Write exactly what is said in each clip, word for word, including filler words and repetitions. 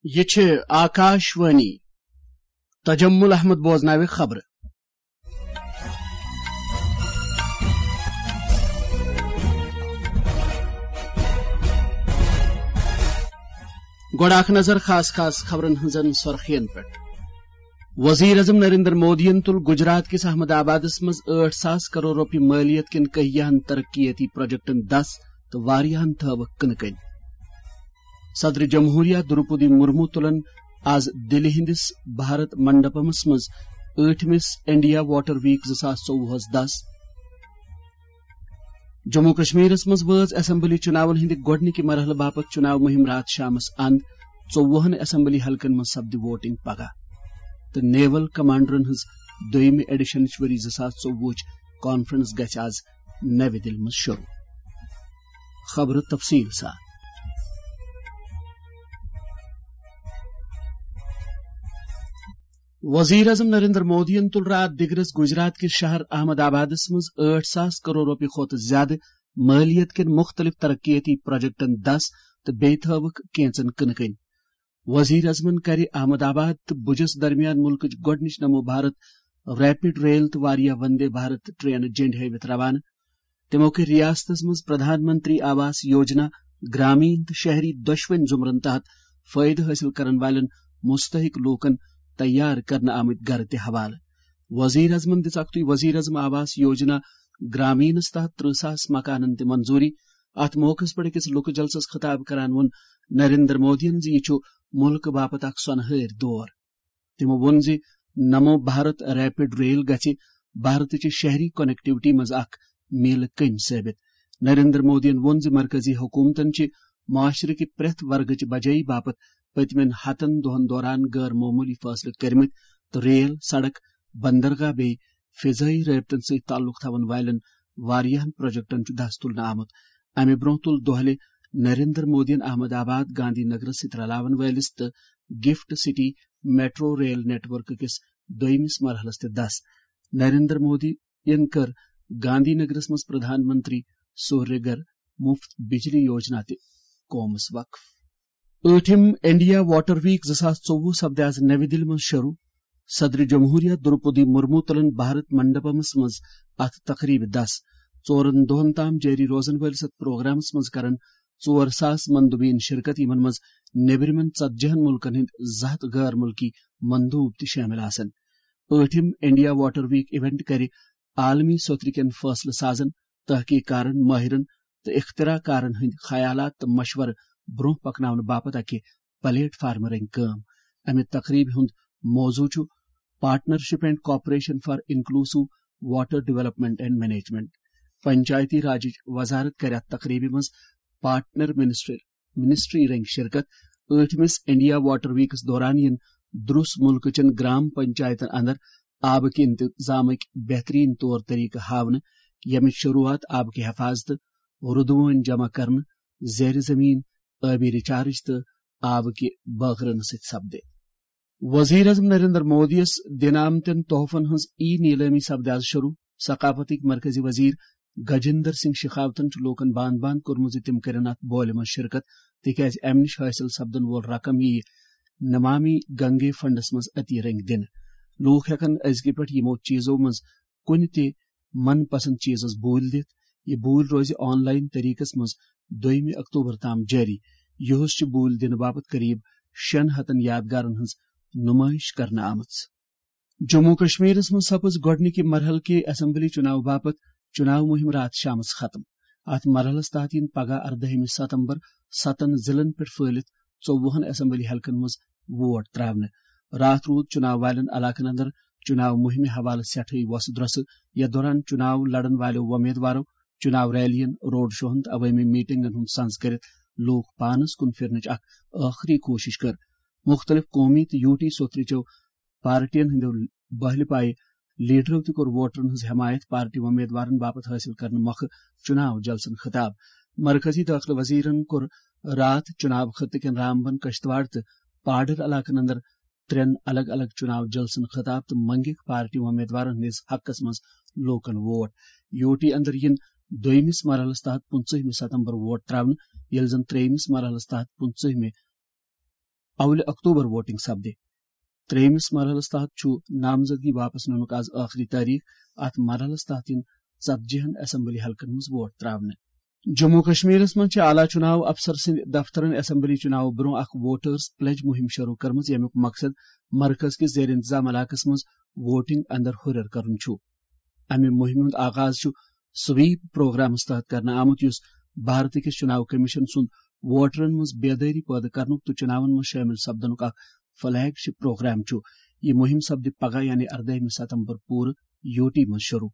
یہِ چھِ آکاش وانی۔ تجمل احمد بوزناوِ خبرٕ۔ گۄڈٕ اکھ نظر خاص خاص خبرن ہٕنٛزن سرخین پٮ۪ٹھ۔ وزیر اعظم نریندر مودیَن تُل گجرات کِس احمد آبادس منٛز ٲٹھ ساس کرور رۄپیہِ مٲلیت کٮ۪ن کہیاہن ترقیتی پروجیکٹن دس تہٕ واریاہن تھٲوٕکھ کٕنہٕ کٔنۍ۔ صدر جمہوریہ دروپدی مرمو تُلن آز دِلہِ ہٕنٛدِس بھارت منڈپمس منٛز ٲٹھمِس انڈیا واٹر ویک زٕ ساس ژوٚوُہس دس۔ جموں کشمیرس منٛز وٲژ اسمبلی چُناون ہٕنٛدِ گۄڈٕنِکہِ مرحلہٕ باپتھ چُناو مُہِم راتھ شامس اند۔ ژوٚوُہن اسمبلی حلقن منٛز سپدِ ووٹنگ پگاہ، تہٕ نیول کمانڈرن ہٕنٛز دوٚیمہِ ایڈیشنٕچ ؤری زٕ ساس ژوٚوُہٕچ کانفرنس گژھِ آز نَوِ دِلہِ منٛز شروع۔ خبرٕ تفصیٖل سان۔ وزیر اعظم نریندر مودیَن تُل راتھ دِگرس گجرات کِس شہر احمد آبادس منٛز ٲٹھ ساس کرور رۄپیہِ کھۄتہٕ زیادٕ مٲلیت کٮ۪ن مُختٔلِف ترقیتی پروجیکٹن دس تہٕ بیٚیہِ تھٲوٕکھ کینژن کٕنہٕ کٔنۍ۔ وزیر اعظمن کرِ احمد آباد تہٕ بُجس درمیان مُلکٕچ گۄڈٕنِچ نمو بھارت ریپڈ ریل تہٕ واریاہ وندے بھارت ٹرینہٕ جنڈِ ہٲوِتھ روانہٕ۔ تِمو کٔرۍ ریاستس منٛز پردھان منتری آواس یوجنا، گرامین تہٕ شہری دۄشوٕنی زمرن تحت فٲیدٕ حٲصِل کرن والٮ۪ن مستحق لوٗکن تیار کرنہٕ آمٕتۍ گرٕ تہِ حوالہٕ۔ وزیر اعظمن دِژ اکھتُے وزیر اعظم آواس یوجنا گرامینس تحت ترٕہ ساس مکانن تہِ منظوٗری۔ اتھ موقعس پٮ۪ٹھ أکِس لُکہٕ جلسس خطاب کران ووٚن نریندر مودیَن زِ یہِ چھُ مُلکہٕ باپتھ اکھ سۄنہٕ ہٲرۍ دور۔ تِمو ووٚن زِ نمو بھارت ریپڈ ریل گژھِ بھارتٕچہِ شہری کنیکٹیوٹی منٛز اکھ میلہٕ کٔنۍ ثٲبت۔ نریندر مودیَن ووٚن زِ مرکزی حکومتن چھِ معاشرٕ کہِ پرٛٮ۪تھ ورگٕچ بجٲیی باپتھ پٔتمٮ۪ن ہتن دۄہن دوران غٲر معموٗلی فٲصلہٕ کٔرمٕتۍ تہٕ ریل، سڑک، بندرگاہ بیٚیہِ فضٲیی رٲبطن سۭتۍ تعلق تھاون والٮ۪ن واریاہن پروجیکٹن چھُ دس تُلنہٕ آمُت۔ امہِ برونٛہہ تُل دۄہلہِ نریندر مودیَن احمد آباد گاندھی نگرس سۭتۍ رلاون وٲلِس تہٕ gift city metro rail network کِس دوٚیمِس مرحلس تہِ دس۔ نریندر مودی ین کٔر گاندھی نگرس منٛز پردھان منتری سوریہ گھر مفت بجلی یوجنا تہِ قومس وقف۔ ٲٹھِم انڈیا واٹر ویک زٕ ساس ژوٚوُہ سپدِ آز نَوِ دِلہِ منٛز شروع۔ صدر جمہوریہ دروپدی مرمو تُلن بھارت منڈپمس منٛز اتھ تقریبہِ دس۔ ژورن دۄہن تام جٲری روزن وٲلِس اتھ پروگرامس منٛز کرن ژور ساس مندوبین شرکت، یِمن منٛز نیبرِمٮ۪ن ژتجی ہن مُلکن ہٕنٛدۍ زٕ ہتھ غٲر مُلکی مندوب تہِ شٲمِل آسن۔ ٲٹھِم انڈیا واٹر ویک ایونٹ کرِ عالمی سوٚترِ کٮ۪ن فٲصلہٕ سازن، تحقیق کارن، مٲہرن تہٕ اختراع کارن ہٕنٛدۍ خیالات تہٕ مشورٕ برونٛہہ پکناونہٕ باپتھ اکہِ پلیٹ فارم رنگہِ کٲم۔ امہِ تقریبہِ ہُنٛد موضوع چھُ Partnership and Cooperation for Inclusive Water Development and Management۔ پنچایتی راجٕچ وزارت کرِ اتھ تقریبہِ منٛز پارٹنر منسٹر، منسٹری رنگہِ شرکت۔ ٲٹھمِس انڈیا واٹر ویکس دوران یِن دروس مُلکہٕ چٮ۪ن گرام پنچایتن اندر آبہٕ کہِ انتظامٕکۍ بہترین طور طریقہٕ ہاونہٕ، ییٚمِچ شروعات آبہٕ کہِ حفاظتہٕ، رُدوٲنۍ جمع کرنہٕ، زیر زمین آبی ریچارج تہٕ آبہٕ کہِ بٲگرٲونہٕ سۭتۍ سپدِ۔ وزیر اعظم نریندر مودی یَس دِنہٕ آمتٮ۪ن تحفن ہٕنٛز ای نیلٲمی سپدِ آز شروع۔ ثقافتٕکۍ مرکزی وزیر گجیندر سنگھ شیخاوتن چھُ لوٗکن باند باند کوٚرمُت زِ تِم کٔرِن اتھ بولہِ منٛز شرکت، تِکیازِ امہِ نِش حٲصِل سپدن وول رقم یِیہِ نمامی گنگے فنڈس منٛز عطیہ رنگۍ دِنہٕ۔ لوٗکھ ہٮ۪کن أزکہِ پٮ۪ٹھ یِمو چیٖزو منٛز کُنہِ تہِ من پسند چیٖزس بوٗلۍ دِتھ۔ یہِ بوٗلۍ روزِ آن لاین طریقس منٛز دوٚیمہِ اکتوبر تام جٲری۔ یِہُس چھِ بوٗلۍ دِنہٕ باپتھ قریب شیٚن ہتن یادگارن ہٕنٛز نُمٲیِش کرنہٕ آمٕژ۔ جموں کشمیرس منٛز سپٕز گۄڈٕنِکہِ مرحلہٕ کہِ اسمبلی چُناو باپتھ چُناو مُہِم راتھ شامس ختم۔ اتھ مرحلس تحت یِن پگاہ اردٲہمہِ ستمبر ستن ضلعن پٮ۪ٹھ پھٲلِتھ ژوٚوُہن اسمبلی حلقن منٛز ووٹ تراونہٕ۔ راتھ روٗد چُناو والٮ۪ن علاقن اندر چُناو مُہِمہِ حوالہٕ سٮ۪ٹھٕے وۄسہٕ درۄسہٕ۔ یتھ دوران چُناو لڑن والٮ۪و وۄمیدوارو چُناو ریلین، روڈ شوہن تہٕ عوٲمی میٹنگن ہُنٛد سنز کٔرِتھ لوٗکھ پانس کُن پھِرنٕچ اکھ ٲخری کوٗشش کٔر۔ مُختٔلِف قومی تہٕ یوٗ ٹی سوٚترِ چٮ۪و پارٹین ہٕنٛدیو بہلہِ پایہِ لیڈرو تہِ کوٚر ووٹرن ہٕنٛز حمایت پارٹی وۄمیدوارن باپتھ حٲصِل کرنہٕ مۄکھٕ چُناو جلسن خطاب۔ مرکزی دٲخلہٕ وزیرن کوٚر راتھ چُناو خطہٕ کٮ۪ن رامبن، کشتواڑ تہٕ پاڈر علاقن اندر ترٛٮ۪ن الگ الگ چُناو جلسن خطاب تہٕ منٛگِکھ پارٹی وۄمیدوارن ہٕنٛدِس حقس منٛز لوٗکن ووٹ۔ یوٗ ٹی اندر یِن دوٚیمِس مرحلس تحت پٕنٛژٕہمہِ ستمبر ووٹ تراونہٕ، ییٚلہِ زن ترٛیٚیمِس مرحلس تحت پٕنٛژٕہمہِ اولہِ اکتوبر ووٹنگ سپدِ۔ ترٛیٚیمِس مرحلَس تحت چھُ نامزدگی واپس نِنُک آز ٲخری تٲریخ۔ اَتھ مرحلَس تحت یِن ژتجی ہن اسمبلی حلقن منٛز ووٹ تراونہٕ۔ جموں کشمیرس منٛز چھِ اعلیٰ چُناو افسر سٕنٛدِ دفترن اسمبلی چُناو برٛونٛہہ اکھ ووٹرز پلیج مُہِم شروٗع کٔرمٕژ، ییٚمیُک مقصد مرکز کِس زیر انتظام علاقس منٛز ووٹنگ اندر ہُرٮ۪ر کرُن چھُ۔ امہِ مُہِمہِ ہُنٛد آغاز چھُ سویپ پروگرامس تحت کرنہٕ آمُت، یُس بھارت کِس چُناو کمیشن سُنٛد ووٹرن منٛز بیدٲری پٲدٕ کرنُک تہٕ چُناون منٛز شٲمِل سپدنُک اکھ فلیگ شپ پروگرام چھُ۔ یہِ مُہِم سپدِ پگاہ یعنی اردٲہمہِ ستمبر پوٗرٕ یوٗ ٹی منٛز شروٗع۔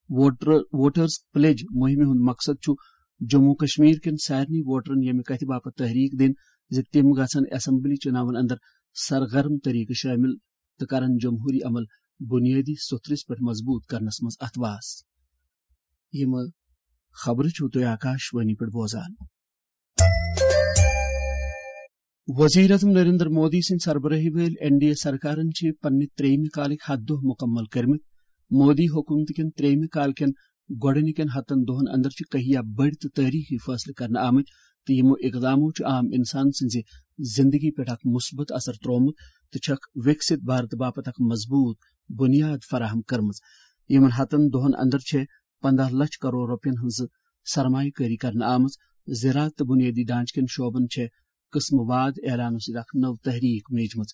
ووٹر، ووٹرز پلیج مُہِمہِ ہُنٛد مقصد چھُ جموں کشمیر کٮ۪ن سارنٕے ووٹرن ییٚمہِ کتھِ باپتھ تحریک دِنۍ زِ تِم گژھن اسمبلی چُناون اندر سرگرم طریقہٕ شٲمِل تہٕ کرن جمہوٗری عمل بُنیٲدی سوٚتھرِس پٮ۪ٹھ مضبوٗط کرنس منٛز اتھواس۔ یِم خبرٕ چھِو تُہۍ آکاش وانی پٮ۪ٹھ بوزان۔ وزیر اعظم نریندر مودی سٕنٛدِ سربرٲہی وٲلۍ این ڈی اے سرکارن چھِ پننہِ ترٛیٚیمہِ کالٕکۍ ہتھ دۄہ مُکمل کٔرمٕتۍ۔ مودی حکومت کٮ۪ن ترٛیٚیمہِ کالہِ کٮ۪ن گۄڈٕنِکٮ۪ن ہتن دۄہن اندر چھِ کہیا بٔڑۍ تہٕ تٲریخی فٲصلہٕ کرنہٕ آمٕتۍ تہٕ یِمو اقدامو چھُ عام انسان سٕنٛزِ زندگی پٮ۪ٹھ اکھ مثبت اثر ترٛوومُت تہٕ چھکھ وِکسِت بھارت باپتھ اکھ مضبوٗط بُنیاد فراہم کٔرمٕژ۔ یِمن ہتن دۄہن اندر چھےٚ پنداہ لچھ کرور رۄپین ہٕنٛز سرمایہ کٲری کرنہٕ آمٕژ۔ زراعت تہٕ بُنیٲدی ڈھانچہٕ کٮ۪ن شعبن چھےٚ قٕسمہٕ واد اعلانو سۭتۍ اکھ نٔو تحریک میجمٕژ۔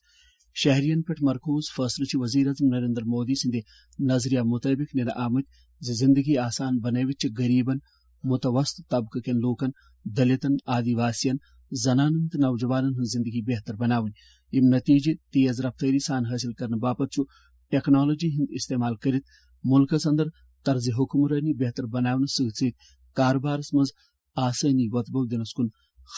شہرین پٮ۪ٹھ مرکوز فٲصلہٕ چھِ وزیر اعظم نریندر مودی سٕنٛدِ نظریہ مُطٲبِق نِنہٕ آمٕتۍ زِ زندگی آسان بنٲوِتھ چھِ غریبن متوسط طبقہٕ کٮ۪ن لوٗکن، دلتن، آدی واسین، زنانن تہٕ نوجوانن ہٕنٛز زندگی بہتر بناوٕنۍ۔ یِم نتیجہٕ تیز رفتٲری سان حٲصِل کرنہٕ باپتھ چھُ ٹیکنالوجی ہُنٛد استعمال کٔرِتھ مُلکس اندر طرزِ حکمرٲنی بہتر بناونہٕ سۭتۍ سۭتۍ کاربارس منٛز آسٲنی وۄتبو دِنس کُن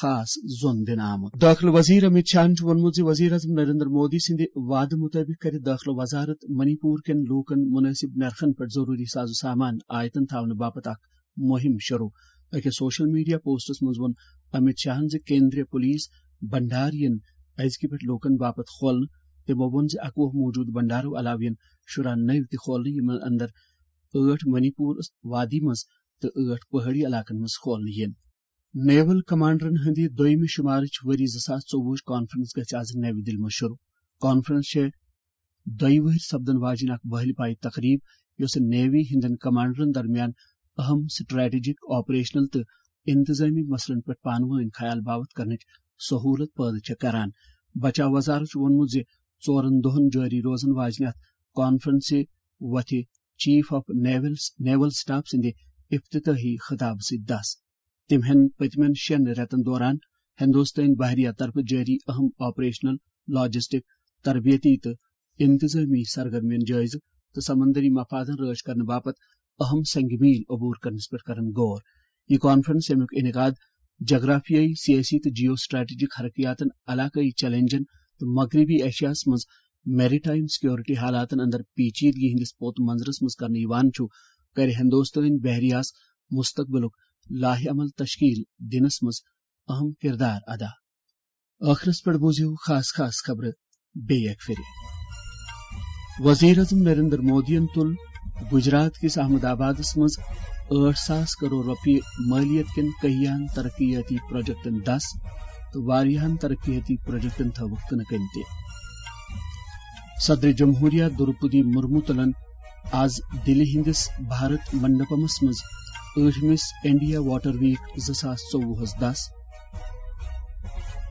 خاص زون دِنہٕ آمُت۔ دٲخلہٕ وزیر امیت شاہن چھُ ووٚنمُت زِ وزیر اعظم نریندر مودی سٕنٛدِ وعدٕ مُطٲبِق کرِ دٲخلہٕ وزارت منی پور کٮ۪ن لوٗکن مُنٲسِب نرخن پٮ۪ٹھ ضروٗری ساز و سامان آیتن تھاونہٕ باپتھ اکھ مُہِم شروع۔ أکِس سوشل میڈیا پوسٹس منٛز ووٚن امیت شاہن زِ کیندریہ پُلیٖس بھنڈار یِن أزکہِ پٮ۪ٹھ لوٗکن باپتھ کھولنہٕ۔ تِمو ووٚن زِ اَکوُہ موٗجوٗدٕ بھنڈارو علاوٕ یِن شُراہ نٔوۍ تہِ کھولنہٕ، یِمن اندر ٲٹھ منی پور وادی منٛز تہٕ ٲٹھ پہٲڑی علاقن منٛز کھولنہٕ یِن۔ نیول کمانڈرن ہٕنٛدِ دوٚیمہِ شُمارٕچ ؤری زٕ ساس ژوٚوُہٕچ کانفرنس گژھِ آز نَوِ دِلہِ منٛز شروع۔ کانفرنس چھےٚ دۄیہِ وٕہٕرۍ سپدن واجیٚنۍ اکھ بحلہِ پایہِ تقریب، یۄسہٕ نیوی ہٕنٛدٮ۪ن کمانڈرن درمیان اہم سٹریٹجک، آپریشنل تہٕ انتظامی مسلن پٮ۪ٹھ پانہٕ وٲنۍ خیال باوتھ کرنٕچ سہولت پٲدٕ چھےٚ کران۔ بچاو وزارت چھُ ووٚنمُت زِ ژورن دۄہن جٲری روزن واجنہِ اتھ کانفرنسہِ وۄتھِ chief of naval, naval staff سٕنٛدِ افتتاحی خطابہٕ سۭتۍ دس۔ تِم ہٮ۪ن پٔتمٮ۪ن شٮ۪ن رٮ۪تن دوران ہندوستٲنۍ بحریہ طرفہٕ جٲری اہم آپریشنل، لاجسٹک، تربیتی تہٕ انتظامی سرگرمین جٲیزٕ تہٕ سمندری مفادن رٲچھ کرنہٕ باپتھ اہم سنگ میل عبور کرنس پٮ۪ٹھ کرن غور۔ یہِ کانفرنس، ییٚمیُک انعقاد جغرافیائی، سیاسی تہٕ جیو اسٹریٹجک حرکیاتن، علاقٲئی چیلنجن تہٕ مغربی ایشیاہس منٛز میری ٹائم سیکورٹی حالاتن اندر پیچیدگی ہٕنٛدِس پوت منظرس منٛز کرنہٕ یِوان چھُ، کرِ ہندوستٲنۍ بحریہس مستقبلُک لائحہ عمل تشکیل دِنس منٛز اہم کردار ادا۔ ٲخرس پٮ۪ٹھ بوٗزِو خاص خاص خبرٕ بیٚیہِ اکہِ پھِرِ۔ وزیر اعظم نریندر مودیَن تُل گجرات کِس احمد آبادس منٛز ٲٹھ ساس کرور رۄپیہِ مٲلیت کٮ۪ن کٔہیاہن ترقیاتی پروجیکٹن دس تہٕ واریاہن ترقیاتی پروجیکٹن تھٲوٕکھ کٕنہٕ کٔنۍ تہِ۔ صدر جمہوریہ دروپدی مرمو تُلن آز دِلہِ ہٕنٛدِس بھارت منڈپمس منٛز ٲٹھمِس انڈیا واٹر ویک زٕ ساس ژوٚوُہس دس۔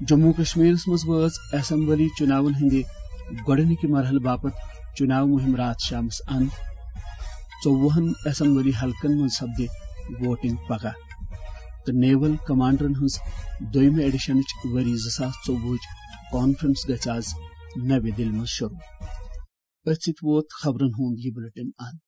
جموں کشمیرس منٛز وٲژ اسمبلی چُناون ہٕنٛدِ گۄڈٕنِکہِ مرحلہٕ باپتھ چُناو مُہِم راتھ شامس اند۔ ژوٚوُہن اسمبلی حلقن منٛز سپدِ ووٹنگ پگاہ۔ تہٕ نیول کمانڈرن ہٕنٛز دوٚیمہِ ایڈیشنٕچ ؤری زٕ ساس ژوٚوُہٕچ کانفرنس گژھِ آز نَوِ دِلہِ منٛز شروع۔ أتھۍ سۭتۍ ووت خبرن ہُنٛد یہِ بلیٹن اند۔